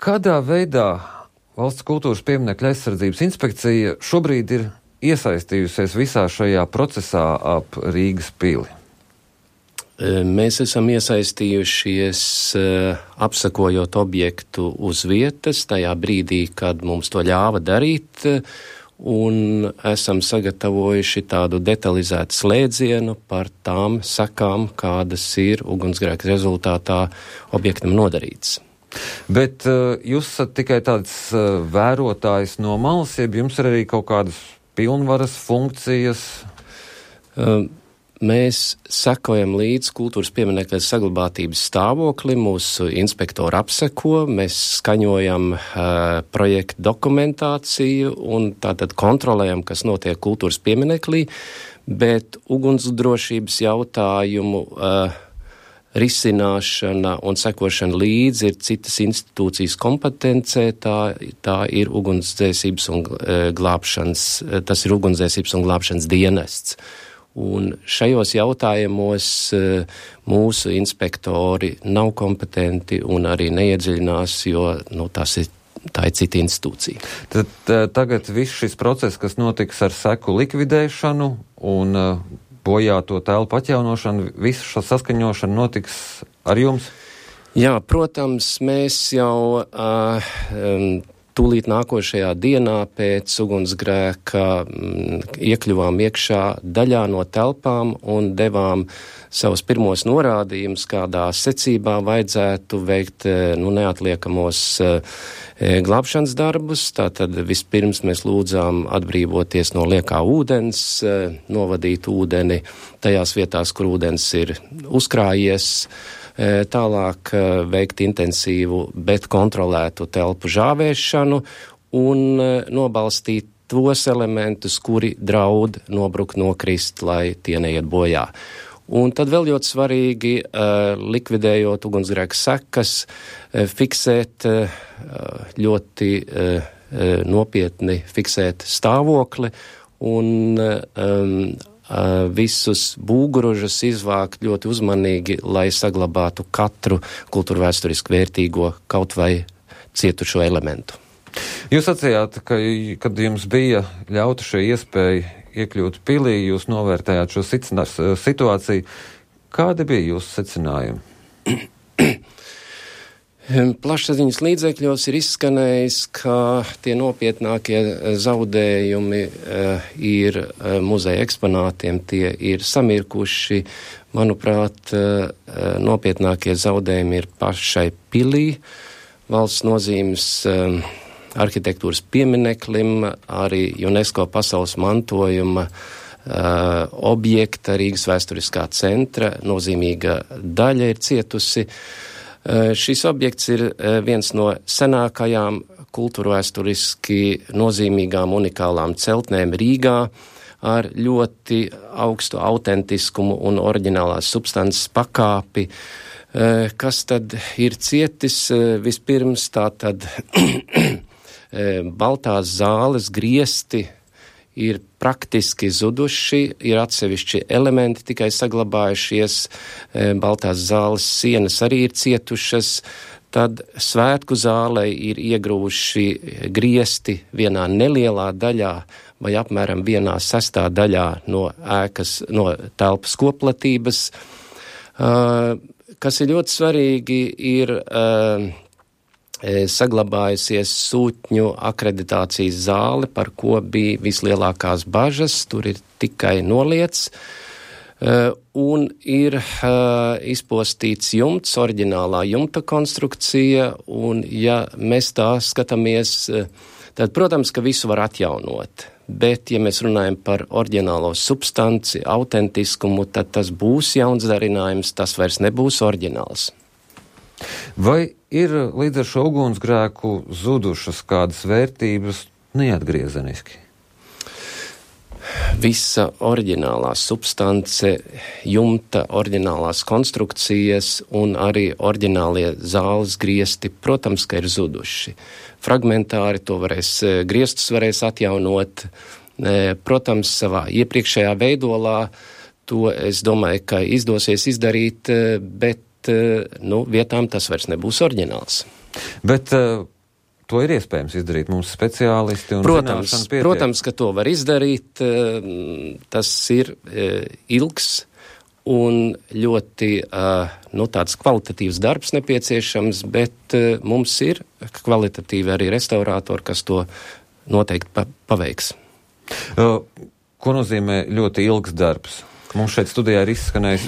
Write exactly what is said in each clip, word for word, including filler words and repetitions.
Kādā veidā Valsts kultūras pieminekļa aizsardzības inspekcija šobrīd ir iesaistījusies visā šajā procesā ap Rīgas pili? Mēs esam iesaistījušies apsakojot objektu uz vietas, tajā brīdī, kad mums to ļāva darīt, un esam sagatavojuši tādu detalizētu slēdzienu par tām sakām, kādas ir ugunsgrēka rezultātā objektam nodarīts. Bet uh, jūs esat tikai tāds uh, vērotājs no malas, jeb jums ir arī kaut kādas pilnvaras, funkcijas? Uh, mēs sekojam līdz kultūras pieminekļa saglabātības stāvokli, mūsu inspektori apseko, mēs skaņojam uh, projektu dokumentāciju un tātad kontrolējam, kas notiek kultūras pieminekļī, bet ugunsdrošības jautājumu uh, risināšana un sekošana līdzi ir citas institūcijas kompetencē, tā, tā ir ugunsdzēsības un e, glābšanas, tas ir ugunsdzēsības un glābšanas dienests. Un šajos jautājumos e, mūsu inspektori nav kompetenti un arī neiedziļinās, jo, nu, tas ir, tā ir cita institūcija. Tad t- tagad viss šis process, kas notiks ar seku likvidēšanu un uh, bojāto telpu atjaunošana, visu šo saskaņošanu notiks ar jums? Jā, protams, mēs jau uh, um, tūlīt nākošajā dienā pēc ugunsgrēka um, iekļuvām iekšā daļā no telpām un devām savus pirmos norādījumus, kādā secībā vajadzētu veikt nu, neatliekamos uh, glābšanas darbus. Tātad vispirms mēs lūdzām atbrīvoties no liekā ūdens, uh, novadīt ūdeni tajās vietās, kur ūdens ir uzkrājies, uh, tālāk uh, veikt intensīvu, bet kontrolētu telpu žāvēšanu un uh, nobalstīt tos elementus, kuri draud nobrukt, nokrist, lai tie neiet bojā. Un tad vēl ļoti svarīgi, uh, likvidējot ugunsgrēka sekas, uh, fiksēt uh, ļoti uh, nopietni fiksēt stāvokli un um, uh, visus būguružus izvākt ļoti uzmanīgi, lai saglabātu katru kultūrvēsturiski vērtīgo kaut vai cietušo elementu. Jūs sacījāt, ka, kad jums bija ļauta šī iespēja iekļūt pilī, jūs novērtējāt šo situāciju. Kādi bija jūsu secinājumi? Plašsaziņas līdzekļos ir izskanējis, ka tie nopietnākie zaudējumi uh, ir uh, muzeja eksponātiem, tie ir samirkuši. Manuprāt, uh, nopietnākie zaudējumi ir pašai pilī, valsts nozīmes uh, arhitektūras piemineklim, arī UNESCO pasaules mantojuma uh, objekta Rīgas vēsturiskā centra nozīmīga daļa ir cietusi. Uh, šis objekts ir uh, viens no senākajām kultūrvēsturiski nozīmīgām unikālām celtnēm Rīgā ar ļoti augstu autentiskumu un oriģinālās substances pakāpi. Uh, kas tad ir cietis? Uh, vispirms tā tad Baltās zāles griesti ir praktiski zuduši, ir atsevišķi elementi tikai saglabājušies, Baltās zāles sienas arī ir cietušas, tad svētku zālē ir iegrūši griesti vienā nelielā daļā vai apmēram vienā sestā daļā no ēkas, no telpas koplatības. Uh, kas ir ļoti svarīgi, ir uh, saglabājusies sūtņu akreditācijas zāle, par ko bija vislielākās bažas, tur ir tikai noliets, uh, un ir uh, izpostīts jumts, oriģinālā jumta konstrukcija, un ja mēs tā skatāmies, uh, tad, protams, ka visu var atjaunot, bet, ja mēs runājam par oriģinālo substanci, autentiskumu, tad tas būs jauns darinājums, tas vairs nebūs oriģināls. Vai ir līdz ar šo ugunsgrēku zudušas kādas vērtības neatgriezeniski? Visa oriģinālā substance, jumta, oriģinālās konstrukcijas un arī oriģinālie zāles griesti, protams, ka ir zuduši. Fragmentāri to varēs, griestus varēs atjaunot, protams, savā iepriekšējā veidolā, to es domāju, ka izdosies izdarīt, bet nu, vietām tas vairs nebūs oriģināls. Bet uh, to ir iespējams izdarīt mums speciālisti un protams, zināšana pietiek? Protams, ka to var izdarīt. Tas ir ilgs un ļoti uh, nu, tāds kvalitatīvs darbs nepieciešams, bet uh, mums ir kvalitatīvi arī restaurātori, kas to noteikti pa- paveiks. Uh, ko nozīmē ļoti ilgs darbs? Mums šeit studijā ir izskanējis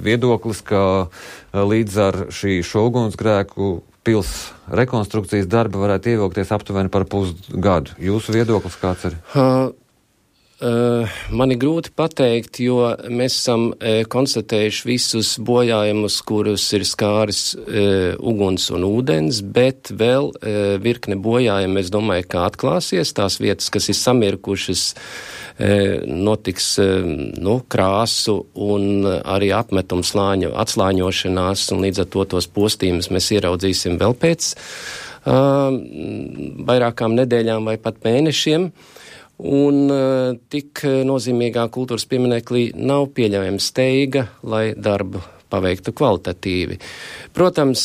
viedoklis, ka līdz ar šī šo ugunsgrēku pils rekonstrukcijas darba varētu ievilkties aptuveni par pusgadu. Jūsu viedoklis kāds ir? Uh, uh, man ir grūti pateikt, jo mēs esam uh, konstatējuši visus bojājumus, kurus ir skāris uh, uguns un ūdens, bet vēl uh, virkne bojājumi, es domāju, ka atklāsies tās vietas, kas ir samirkušas, notiks nu, krāsu un arī apmetumu slāņu atslāņošanās, un līdz ar to tos postījumus mēs ieraudzīsim vēl pēc uh, vairākām nedēļām vai pat mēnešiem. Un uh, tik nozīmīgā kultūras pieminekļī nav pieļaujama steiga, lai darbu paveiktu kvalitatīvi. Protams,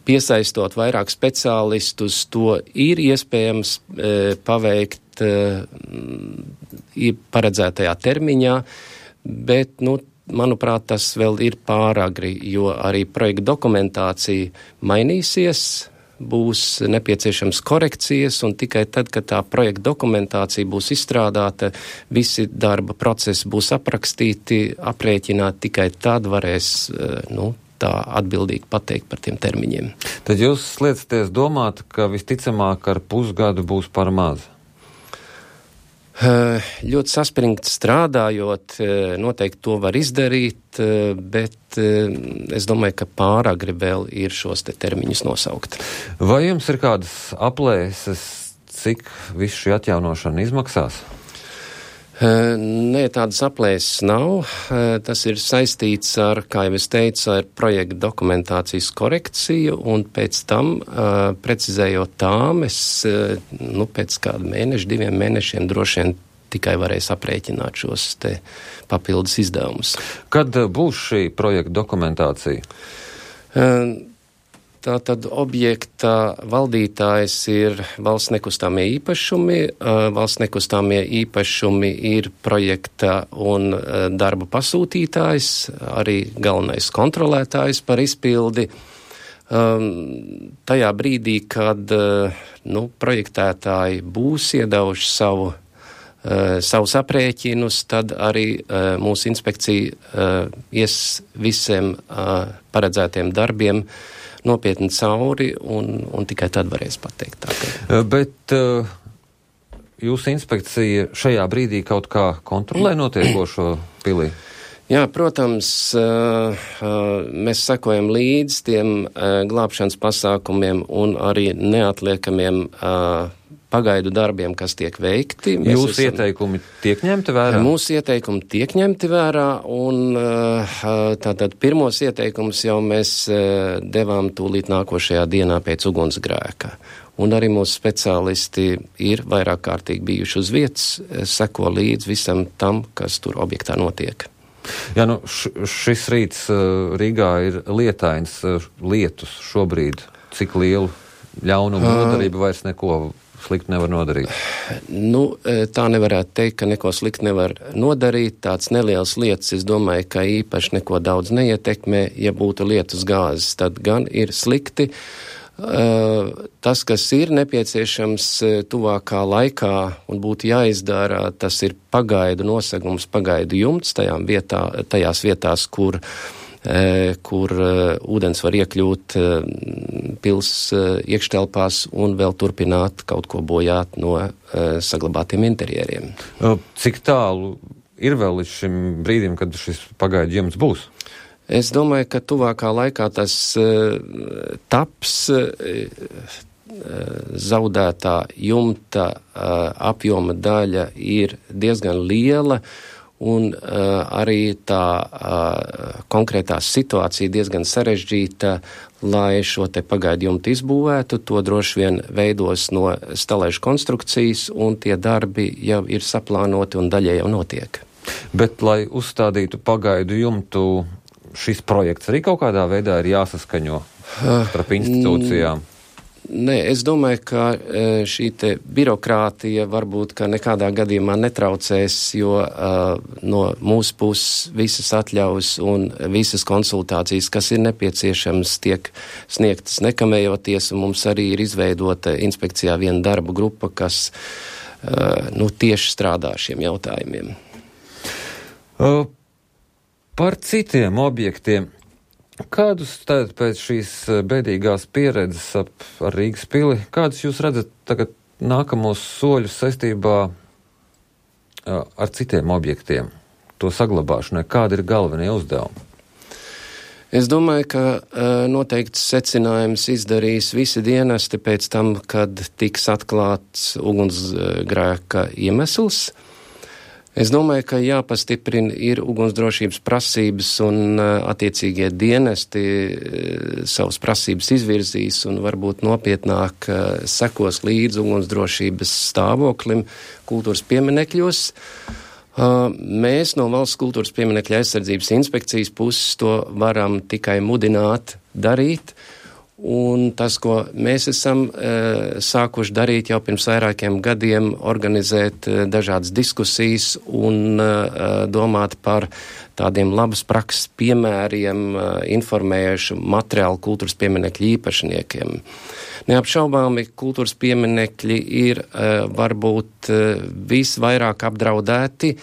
piesaistot vairāk speciālistus, to ir iespējams paveikt paredzētajā termiņā, bet, nu, manuprāt, tas vēl ir pāragri, jo arī projekta dokumentācija mainīsies, būs nepieciešams korekcijas, un tikai tad, kad tā projekta dokumentācija būs izstrādāta, visi darba procesi būs aprakstīti, aprēķināti, tikai tad varēs, nu, tā atbildīgi pateikt par tiem termiņiem. Tad jūs liecaties domāt, ka visticamāk ar pusgadu būs par maz? Ļoti saspringti strādājot, noteikti to var izdarīt, bet es domāju, ka pāragri vēl ir šos te termiņus nosaukt. Vai jums ir kādas aplēses, cik visu šī atjaunošana izmaksās? Nē, tādas aplēses nav. Tas ir saistīts ar, kā jau es teicu, ar projekta dokumentācijas korekciju, un pēc tam, precizējot tām, es, nu, pēc kādu mēnešu, diviem mēnešiem droši vien tikai varēs aprēķināt šos te papildus izdevumus. Kad būs šī projekta dokumentācija? Tātad objekta valdītājs ir valsts nekustāmie īpašumi. Valsts nekustāmie īpašumi ir projekta un darba pasūtītājs, arī galvenais kontrolētājs par izpildi. Tajā brīdī, kad nu, projektētāji būs iedevuši savu, savus aprēķinus, tad arī mūsu inspekcija ies visiem paredzētiem darbiem nopietni cauri, un, un tikai tad varēs pateikt tā. Ka... Bet uh, jūsu inspekcija šajā brīdī kaut kā kontrolē notiekošo pilī? Jā, protams, uh, uh, mēs sekojam līdz tiem uh, glābšanas pasākumiem un arī neatliekamiem uh, pagaidu darbiem, kas tiek veikti. Mēs Jūsu esam, ieteikumi tiek ņemti vērā? Mūsu ieteikumi tiek ņemti vērā, un tātad pirmos ieteikumus jau mēs devām tūlīt nākošajā dienā pēc ugunsgrēka. Un arī mūsu speciālisti ir vairāk kārtīgi bijuši uz vietas, seko līdz visam tam, kas tur objektā notiek. Jā, nu š, šis rīts Rīgā ir lietains, lietus šobrīd. Cik lielu ļaunumu nodarību vairs neko slikti nevar nodarīt? Nu, tā nevarētu teikt, ka neko slikti nevar nodarīt. Tāds neliels lietas, es domāju, ka īpaši neko daudz neietekmē. Ja būtu lietus gāzes, tad gan ir slikti. Tas, kas ir nepieciešams tuvākā laikā un būtu jāizdara, tas ir pagaidu nosegums, pagaidu jumts tajām vietā, tajās vietās, kur kur uh, ūdens var iekļūt uh, pils uh, iekštelpās un vēl turpināt kaut ko bojāt no uh, saglabātiem interjeriem. Cik tālu ir vēl līdz šim brīdim, kad šis pagaidu jumts būs? Es domāju, ka tuvākā laikā tas uh, taps uh, zaudētā jumta uh, apjoma daļa ir diezgan liela, un uh, arī tā uh, konkrētā situācija diezgan sarežģīta, lai šo te pagaidu jumtu izbūvētu. To droši vien veidos no stalēžu konstrukcijas, un tie darbi jau ir saplānoti un daļai jau notiek. Bet, lai uzstādītu pagaidu jumtu, šis projekts arī kaut kādā veidā ir jāsaskaņo starp institūcijām? Nē, es domāju, ka šī te birokrātija varbūt, ka nekādā gadījumā netraucēs, jo uh, no mūsu puses visas atļaus un visas konsultācijas, kas ir nepieciešams, tiek sniegtas nekavējoties, un mums arī ir izveidota inspekcijā viena darba grupa, kas uh, nu, tieši strādā šiem jautājumiem. Uh, par citiem objektiem. Kādus tātad pēc šīs bēdīgās pieredzes ap, ar Rīgas pili, kādus jūs redzat tagad nākamos soļus saistībā ar citiem objektiem, to saglabāšanai? Kādi ir galvenie uzdevumi? Es domāju, ka noteikts secinājums izdarīs visi dienesti pēc tam, kad tiks atklāts ugunsgrēka iemesls. Es domāju, ka jāpastiprina ir ugunsdrošības prasības un attiecīgie dienesti savas prasības izvirzīs un varbūt nopietnāk sekos līdz ugunsdrošības stāvoklim kultūras pieminekļos. Mēs no Valsts kultūras pieminekļa aizsardzības inspekcijas puses to varam tikai mudināt darīt. Un tas, ko mēs esam e, sākuši darīt jau pirms vairākiem gadiem, organizēt e, dažādas diskusijas un e, domāt par tādiem labas prakses piemēriem, e, informējuši materiālu kultūras pieminekļu īpašniekiem. Neapšaubāmi kultūras pieminekļi ir e, varbūt e, visvairāk apdraudēti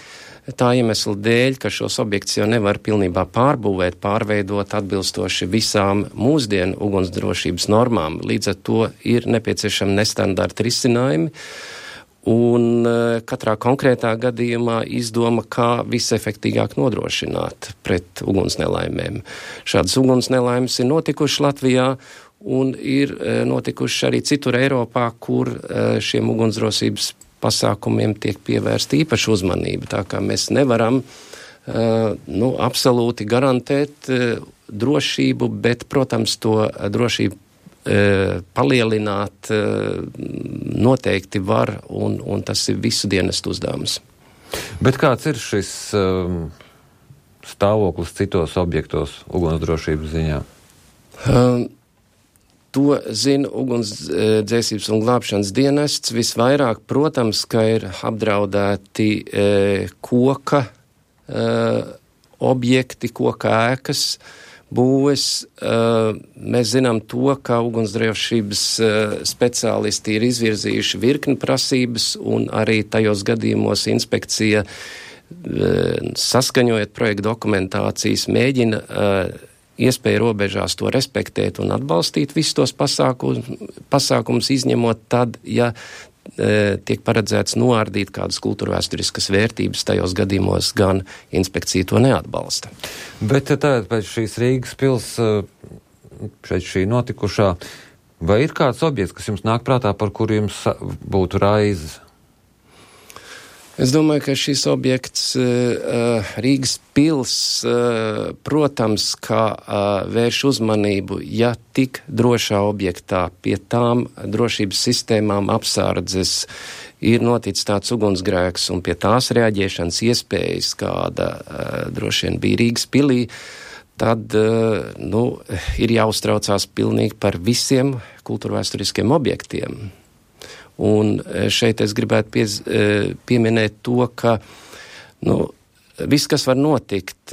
tā iemesla dēļ, ka šos objektus jau nevar pilnībā pārbūvēt, pārveidot atbilstoši visām mūsdienu ugunsdrošības normām. Līdz ar to ir nepieciešami nestandarta risinājumi, un katrā konkrētā gadījumā izdoma, kā visefektīgāk nodrošināt pret ugunsnelaimēm. Šādas ugunsnelaimes ir notikušas Latvijā, un ir notikušas arī citur Eiropā, kur šiem ugunsdrošības pasākumiem tiek pievērsta īpaša uzmanība, tā kā mēs nevaram uh, nu, absolūti garantēt uh, drošību, bet, protams, to drošību uh, palielināt uh, noteikti var, un, un tas ir visu dienestu uzdevums. Bet kāds ir šis um, stāvoklis citos objektos ugunsdrošības ziņā? Um, To zina ugunsdzēsības un glābšanas dienests. Visvairāk, protams, ka ir apdraudēti e, koka e, objekti, koka ēkas, būves. E, mēs zinām to, ka ugunsdrošības e, speciālisti ir izvirzījuši virkni prasības, un arī tajos gadījumos inspekcija, e, saskaņojot projektu dokumentācijas, mēģina e, iespēja robežās to respektēt un atbalstīt visus tos pasākumus, pasākumus izņemot tad, ja e, tiek paredzēts noārdīt kādas kultūrvēsturiskas vērtības, tajos gadījumos gan inspekcija to neatbalsta. Bet tātad pēc šīs Rīgas pils, pēc šī notikušā, vai ir kāds objekts, kas jums nāk prātā, par kuru jums būtu raizes? Es domāju, ka šis objekts uh, Rīgas pils, uh, protams, kā uh, vērš uzmanību, ja tik drošā objektā pie tām drošības sistēmām apsardzes ir noticis tāds ugunsgrēks un pie tās reaģēšanas iespējas, kāda uh, droši vien bija Rīgas pilī, tad uh, nu, ir jāuztraucās pilnīgi par visiem kultūrvēsturiskiem objektiem. Un šeit es gribētu piez, pieminēt to, ka nu, viss, kas var notikt,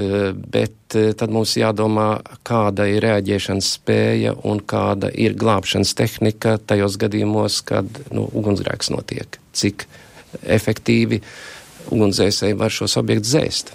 bet tad mums jādomā, kāda ir reaģēšanas spēja un kāda ir glābšanas tehnika tajos gadījumos, kad nu, ugunsgrēks notiek. Cik efektīvi ugunsdzēsēji var šos objektus dzēst.